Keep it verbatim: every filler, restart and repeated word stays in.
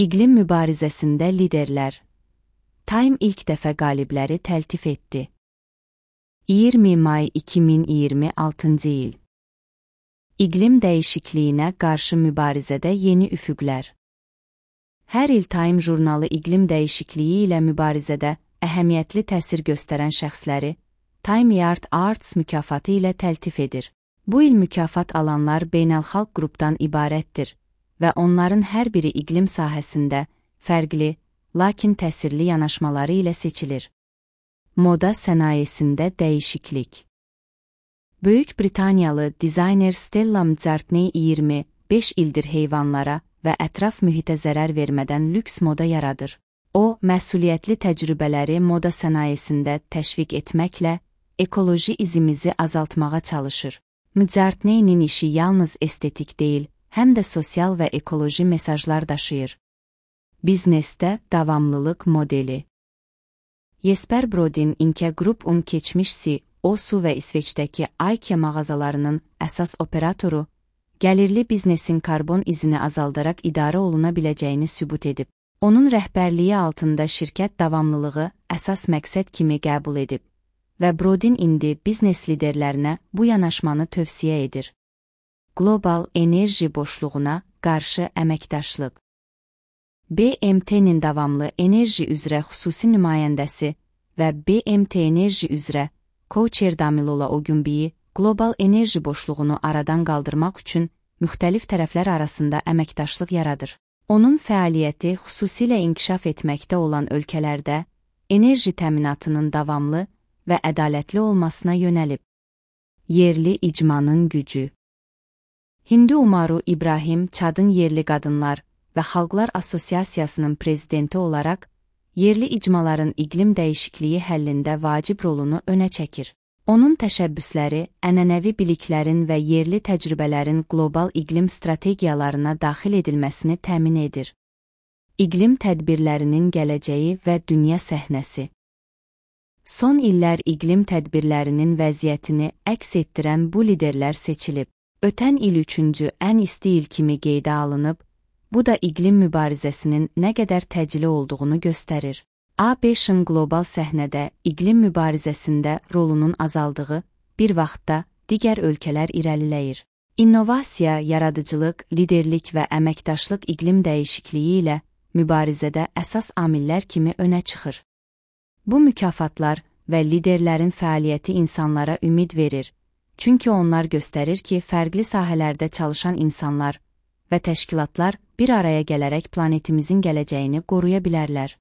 İqlim mübarizəsində liderlər. Time ilk dəfə qalibləri təltif etdi. iyirmi may iki min iyirmi altıncı il. İqlim dəyişikliyinə qarşı mübarizədə yeni üfüqlər. Hər il Time jurnalı iqlim dəyişikliyi ilə mübarizədə əhəmiyyətli təsir göstərən şəxsləri Time Yard Arts mükafatı ilə təltif edir. Bu il mükafat alanlar beynəlxalq qrupdan ibarətdir və onların hər biri iqlim sahəsində fərqli, lakin təsirli yanaşmaları ilə seçilir. Moda sənayesində dəyişiklik. Böyük Britaniyalı dizayner Stella McCartney iyirmi beş ildir heyvanlara və ətraf mühitə zərər vermədən lüks moda yaradır. O, məsuliyyətli təcrübələri moda sənayesində təşviq etməklə ekoloji izimizi azaltmağa çalışır. McCartney'nin işi yalnız estetik deyil, həm də sosial və ekoloji mesajlar daşıyır. Biznesdə davamlılıq modeli. Jesper Brodin Inke Group'un keçmiş C E O-su və İsveçdəki IKEA mağazalarının əsas operatoru, gəlirli biznesin karbon izini azaldaraq idarə oluna biləcəyini sübut edib. Onun rəhbərliyi altında şirkət davamlılığı əsas məqsəd kimi qəbul edib və Brodin indi biznes liderlərinə bu yanaşmanı tövsiyə edir. Qlobal enerji boşluğuna qarşı əməkdaşlıq. B M T'nin davamlı enerji üzrə xüsusi nümayəndəsi və B M T enerji üzrə Co-Chair Damilola Ogunbiyi qlobal enerji boşluğunu aradan qaldırmaq üçün müxtəlif tərəflər arasında əməkdaşlıq yaradır. Onun fəaliyyəti xüsusilə inkişaf etməkdə olan ölkələrdə enerji təminatının davamlı və ədalətli olmasına yönəlib. Yerli icmanın gücü. Hindu Umaru İbrahim Çadın Yerli Qadınlar və Xalqlar Assosiasiyasının prezidenti olaraq, yerli icmaların iqlim dəyişikliyi həllində vacib rolunu önə çəkir. Onun təşəbbüsləri ənənəvi biliklərin və yerli təcrübələrin qlobal iqlim strategiyalarına daxil edilməsini təmin edir. İqlim tədbirlərinin gələcəyi və dünya səhnəsi. Son illər iqlim tədbirlərinin vəziyyətini əks etdirən bu liderlər seçilib. Ötən il üçüncü ən isti il kimi qeydə alınıb, bu da iqlim mübarizəsinin nə qədər təcili olduğunu göstərir. A B Ş'ın qlobal səhnədə iqlim mübarizəsində rolunun azaldığı bir vaxtda digər ölkələr irəliləyir. İnnovasiya, yaradıcılıq, liderlik və əməkdaşlıq iqlim dəyişikliyi ilə mübarizədə əsas amillər kimi önə çıxır. Bu mükafatlar və liderlərin fəaliyyəti insanlara ümid verir, çünki onlar göstərir ki, fərqli sahələrdə çalışan insanlar və təşkilatlar bir araya gələrək planetimizin gələcəyini qoruya bilərlər.